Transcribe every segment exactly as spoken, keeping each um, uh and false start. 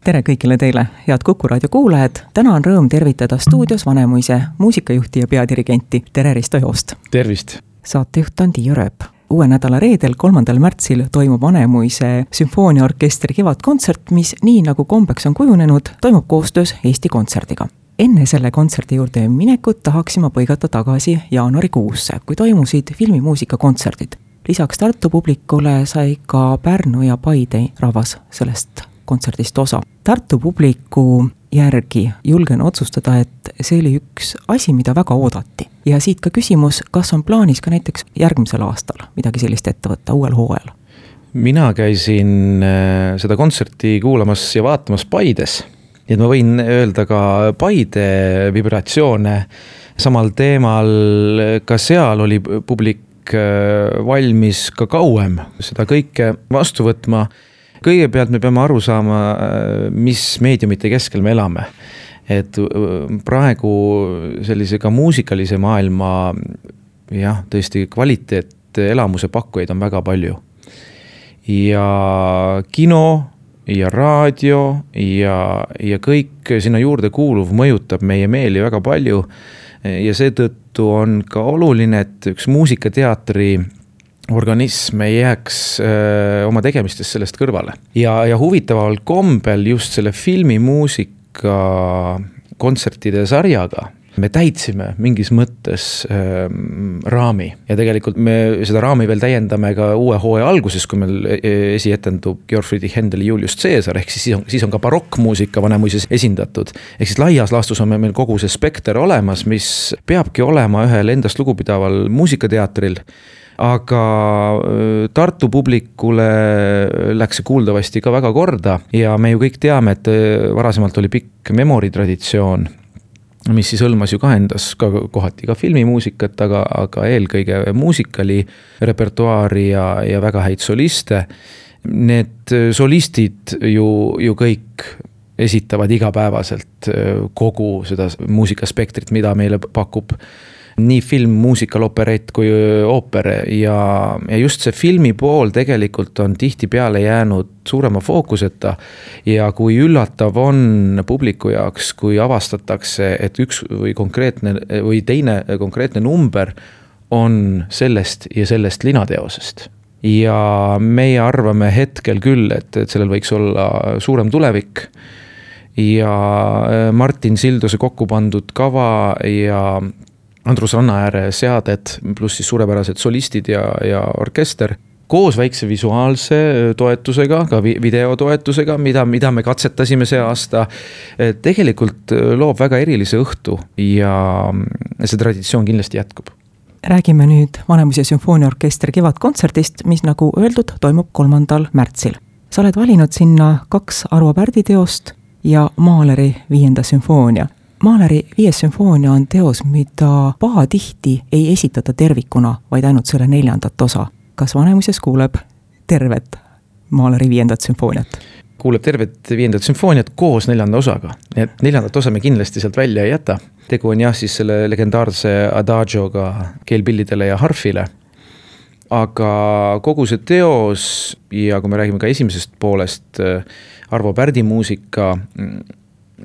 tere kõigile teile, head Kuku raadio kuulajad. Täna on rõõm tervitada stuudios Vanemuise muusikajuhti ja peadirigenti Tere Risto Joost. Tervist! Saatejuht on Tiia Rööp. Uue nädala reedel, kolmandal märtsil toimub Vanemuise sümfooniaorkestri kevadkontsert, mis nii nagu kombeks on kujunenud, toimub koostöös Eesti Kontserdiga. Enne selle kontserdi juurde minekut tahaksime põigata tagasi jaanuarikuusse, kui toimusid filmimuusika kontserdid. Lisaks Tartu publikule sai ka Pärnu ja Paide rahvas sellest kontserdist osa. Tartu publiku järgi julgen otsustada, et see oli üks asi, mida väga oodati. Ja siit ka küsimus, kas on plaanis ka näiteks järgmisel aastal midagi sellist ette võtta uuel hooajal? Mina käisin seda kontserti kuulamas ja vaatamas Paides. Ja ma võin öelda ka Paide vibratsioone samal teemal. Ka seal oli publik valmis ka kauem seda kõike vastu võtma. Kõigepealt me peame aru saama, mis meediumite keskel me elame. Et praegu sellise ka muusikalise maailma jah, tõesti kvaliteet elamuse pakkujaid on väga palju. Ja kino ja raadio ja, ja kõik sinna juurde kuuluv mõjutab meie meeli väga palju. Ja seetõttu on ka oluline, et üks muusikateatri organism ei jääks öö, oma tegemistes sellest kõrvale. Ja, ja huvitaval kombel just selle filmimuusika kontsertide sarjaga me täitsime mingis mõttes öö, raami. Ja tegelikult me seda raami veel täiendame ka uue hooaja alguses, kui meil esietendub Georg Friedrich Händeli Julius Caesar, ehk siis on, siis on ka barokkmuusika Vanemuises esindatud. Ehk siis laias laastus on meil kogu see spekter olemas, mis peabki olema ühel endast lugupidaval muusikateatril. Aga Tartu publikule läks see kuuldavasti ka väga korda ja me ju kõik teame, et varasemalt oli pikk memoritraditsioon, mis siis hõlmas ju ka endas ka kohati ka filmimuusikat, aga, aga eelkõige muusikali repertuaari ja, ja väga häid soliste. Need solistid ju, ju kõik esitavad igapäevaselt kogu seda muusikaspektrit, mida meile pakub nii film, muusikal, operett kui ooper ja, ja just see filmi pool tegelikult on tihti peale jäänud suurema fookuseta ja kui üllatav on publiku jaoks, kui avastatakse, et üks või konkreetne või teine konkreetne number on sellest ja sellest linateosest. Ja meie arvame hetkel küll, et, et sellel võiks olla suurem tulevik ja Martin Silduse kokku pandud kava ja Andrus Rannaääre seaded, pluss siis suurepärased solistid ja, ja orkester, koos väikse visuaalse toetusega, ka videotoetusega, mida, mida me katsetasime see aasta, tegelikult loob väga erilise õhtu ja see traditsioon kindlasti jätkub. Räägime nüüd Vanemuise sümfooniaorkestri kevadkontserdist, mis nagu öeldud toimub kolmandal märtsil. Sa oled valinud sinna kaks Arvo Pärdi teost ja Mahleri viienda sümfoonia. Mahleri viies sümfoonia on teos, mida pahatihti ei esitata tervikuna, vaid ainult selle neljandat osa. Kas Vanemuises kuuleb tervet Mahleri viiendat sümfooniat? Kuuleb tervet viiendat sümfooniat koos neljanda osaga. Et neljandat osa me kindlasti sealt välja ei jäta. Tegu on jah siis selle legendaarse adagioga keelpillidele ja harfile. Aga kogu see teos ja kui me räägime ka esimesest poolest Arvo Pärdi muusika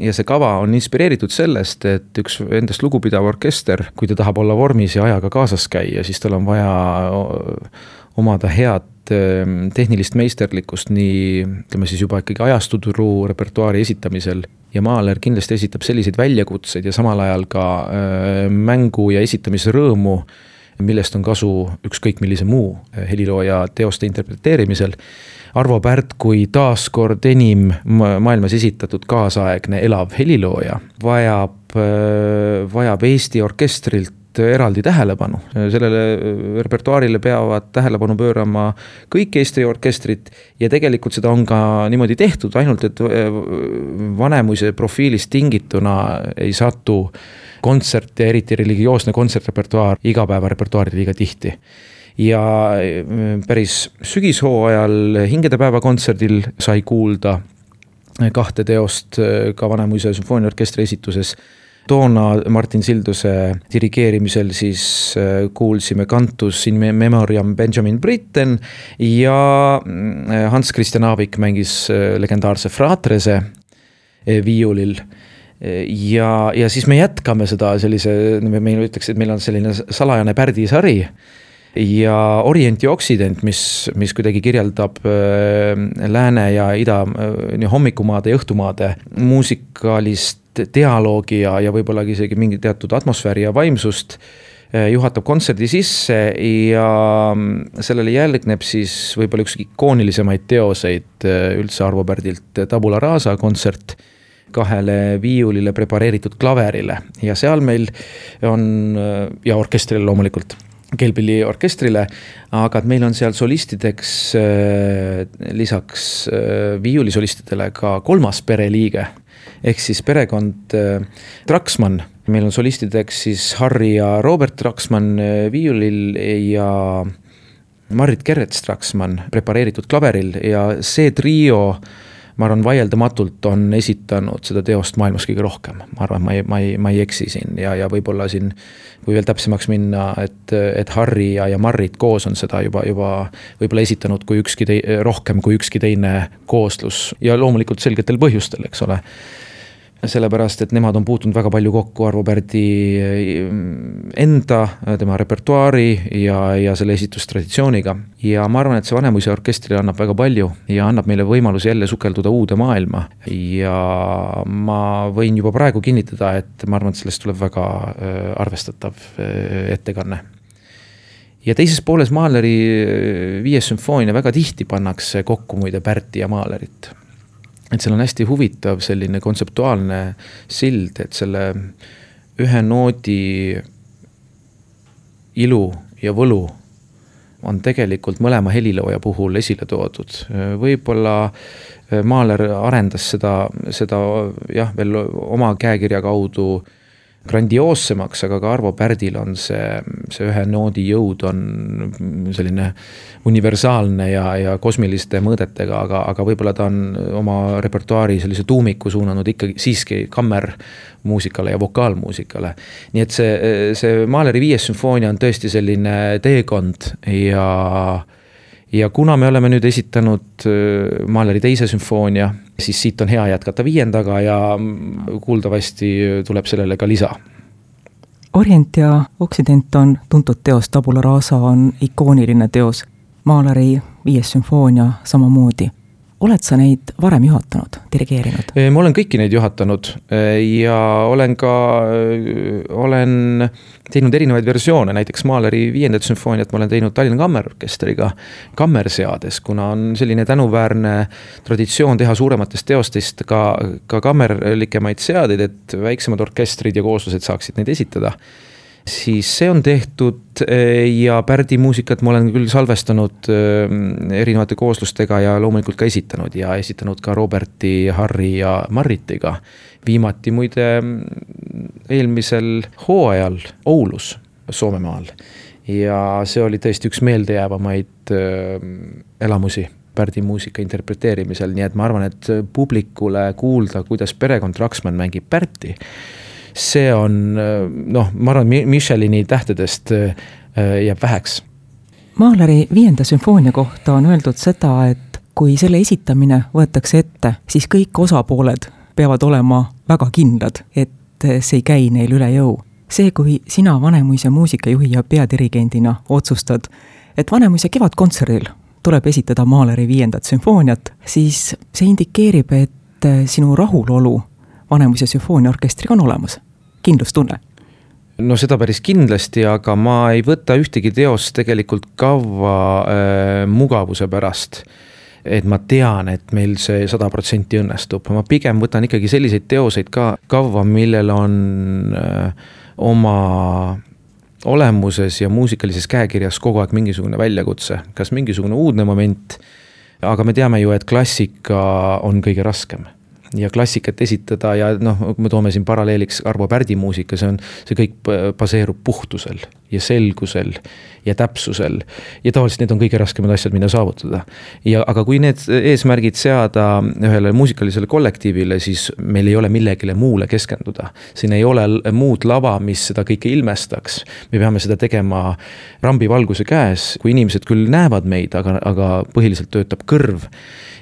ja see kava on inspireeritud sellest, et üks endast lugupidav orkester, kui ta tahab olla vormis ja ajaga kaasas käia, siis tal on vaja omada head tehnilist meisterlikkust nii, ütleme siis juba ikkagi ajastuturu repertuaari esitamisel. Ja Mahler kindlasti esitab selliseid väljakutseid ja samal ajal ka mängu ja esitamise rõõmu, millest on kasu ükskõik millise muu helilooja teoste interpreteerimisel. Arvo Pärt kui taaskord enim maailmas esitatud kaasaegne elav helilooja vajab, vajab Eesti orkestrilt eraldi tähelepanu. Sellele repertuaarile peavad tähelepanu pöörama kõik Eesti orkestrit ja tegelikult seda on ka niimoodi tehtud, ainult et Vanemuise profiilist tingituna ei satu kontsert ja eriti religioosne kontsertrepertuaar igapäeva repertuaari liiga tihti. Ja päris sügishooajal Hingedepäeva kontserdil sai kuulda kahte teost ka Vanemuise sümfooniaorkestri esituses. Toona Martin Silduse dirigeerimisel siis kuulsime Cantus in Memoriam Benjamin Britten ja Hans Christian Aavik mängis legendaarse Fratrese viiulil. Ja, ja siis me jätkame seda sellise, meil ütleks, et meil on selline salajane pärdisari ja Orient ja Occident, mis, mis kuidagi kirjeldab lääne ja ida nii hommikumaade ja õhtumaade muusikalist dialoogi ja, ja võib-olla isegi mingi teatud atmosfääri ja vaimsust, juhatab kontserdi sisse ja sellele järgneb siis võib-olla üks ikoonilisemaid teoseid üldse Arvo Pärdilt, Tabula Rasa kontsert kahele viiulile prepareeritud klaverile ja seal meil on, ja orkestrile loomulikult, Kelbili orkestrile, aga meil on seal solistideks lisaks viiulisolistidele ka kolmas pereliige, ehk siis perekond Traksmann. Meil on solistideks siis Harri ja Robert Traksmann viiulil ja Marit Gerrets Traksmann prepareeritud klaveril ja see trio, ma arvan, vaieldamatult on esitanud seda teost maailmas kõige rohkem. Ma arvan, ma ei, ma ei, ma ei eksi siin ja, ja võib-olla siin, kui veel täpsemaks minna, et, et Harri ja, ja Marit koos on seda juba, juba võib-olla esitanud kui ükski tei, rohkem kui ükski teine kooslus ja loomulikult selgetel põhjustel, eks ole. Sellepärast, et nemad on puutunud väga palju kokku Arvo Pärdi enda, tema repertuaari ja, ja selle esitustraditsiooniga. Ja ma arvan, et see Vanemuise orkestrile annab väga palju ja annab meile võimalus jälle sukelduda uude maailma. Ja ma võin juba praegu kinnitada, et ma arvan, et sellest tuleb väga arvestatav ettekanne. Ja teises pooles Mahleri viies sümfoonia väga tihti pannakse kokku muide Pärti ja Mahlerit. Et seal on hästi huvitav selline kontseptuaalne sild, et selle ühe noodi ilu ja võlu on tegelikult mõlema helilooja puhul esile toodud. Võib-olla Mahler arendas seda, seda jah, veel oma käekirja kaudu grandioossemaks, aga ka Arvo Pärdil on see, see ühe noodi jõud on selline universaalne ja, ja kosmiliste mõõdetega, aga, aga võib-olla ta on oma repertuaari sellise tuumiku suunanud ikkagi siiski kammermuusikale ja vokaalmuusikale. Nii et see, see Mahleri viies sümfoonia on tõesti selline teekond ja Ja kuna me oleme nüüd esitanud Mahleri teise sümfoonia, siis siit on hea jätkata viiendaga ja kuuldavasti tuleb sellele ka lisa. Orient ja Occident on tuntud teos, Tabula Rasa on ikooniline teos, Mahleri viies sümfoonia samamoodi. Oled sa neid varem juhatanud, dirigeerinud? Ma olen kõiki neid juhatanud ja olen ka olen teinud erinevaid versioone, näiteks Mahleri viiendat sümfooniat ma olen teinud Tallinna Kammerorkestriga kammerseades, kuna on selline tänuväärne traditsioon teha suurematest teostest ka, ka kammerlikemaid seadeid, et väiksemad orkestrid ja kooslused saaksid neid esitada. Siis see on tehtud ja Pärdi muusikat ma olen küll salvestanud erinevate kooslustega ja loomulikult ka esitanud ja esitanud ka Roberti, Harri ja Maritiga. Viimati muide eelmisel hooajal Oulus, Soomemaal. Ja see oli tõesti üks meeldejäävamaid elamusi Pärdi muusika interpreteerimisel, nii et ma arvan, et publikule kuulda, kuidas perekond Traksmann mängib Pärti, see on, noh, ma arvan, Michelini tähtedest jääb väheks. Mahleri viienda sümfoonia kohta on öeldud seda, et kui selle esitamine võetakse ette, siis kõik osapooled peavad olema väga kindlad, et see ei käi neil üle jõu. See, kui sina Vanemuise muusikajuhi ja peadirigendina otsustad, et Vanemuise kevadkontserdil tuleb esitada Mahleri viiendat sümfooniat, siis see indikeerib, et sinu rahulolu Vanemuise sümfooniaorkestriga on olemas. Kindlustunne. No seda päris kindlasti, aga ma ei võta ühtegi teost tegelikult kavva äh, mugavuse pärast, et ma tean, et meil see sada protsenti õnnestub. Ma pigem võtan ikkagi selliseid teoseid ka kavva, millel on äh, oma olemuses ja muusikalises käekirjas kogu aeg mingisugune väljakutse, kas mingisugune uudne moment, aga me teame ju, et klassika on kõige raskem. Ja klassikat esitada ja noh, me toome siin paralleeliks Arvo Pärdi muusika, see on, see kõik baseerub puhtusel ja selgusel ja täpsusel ja tavaliselt need on kõige raskemad asjad, mida saavutada. Ja, aga kui need eesmärgid seada ühele muusikalisele kollektiivile, siis meil ei ole millegile muule keskenduda. Siin ei ole muud lava, mis seda kõike ilmestaks. Me peame seda tegema rambivalguse käes, kui inimesed küll näevad meid, aga, aga põhiliselt töötab kõrv.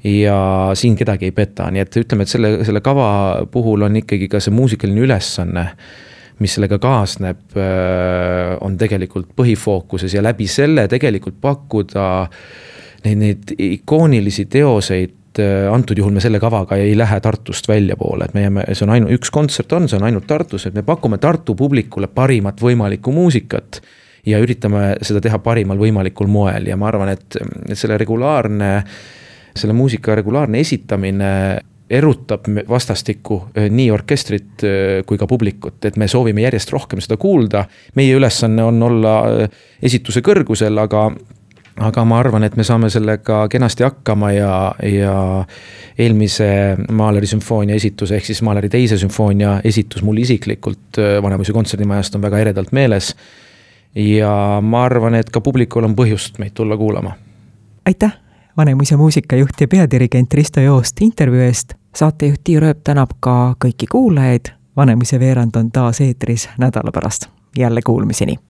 Ja siin kedagi ei peta, nii et ütleme, et selle, selle kava puhul on ikkagi ka see muusikaline ülesanne, mis sellega kaasneb, on tegelikult põhifookuses ja läbi selle tegelikult pakkuda neid, neid ikoonilisi teoseid. Antud juhul me selle kavaga ei lähe Tartust välja poole, et me jääme, see on ainult üks kontsert on, see on ainult Tartus, et me pakume Tartu publikule parimat võimalikku muusikat ja üritame seda teha parimal võimalikul moel ja ma arvan, et selle regulaarne, selle muusika regulaarne esitamine erutab vastastikku nii orkestrit kui ka publikut, et me soovime järjest rohkem seda kuulda. Meie ülesanne on olla esituse kõrgusel, aga aga ma arvan, et me saame sellega kenasti hakkama ja, ja eelmise Mahleri sümfoonia esituse ehk siis Mahleri teise sümfoonia esitus mul isiklikult Vanemuise kontserdimajast on väga eredalt meeles ja ma arvan, et ka publikul on põhjust meid tulla kuulama. Aitäh, Vanemuise muusikajuht ja peadirigent Risto Joost intervjuu eest. Saatejuht Tiiu Rööp tänab ka kõiki kuulajaid. Vanemuise veerand on taas eetris nädala pärast. Jälle kuulmiseni.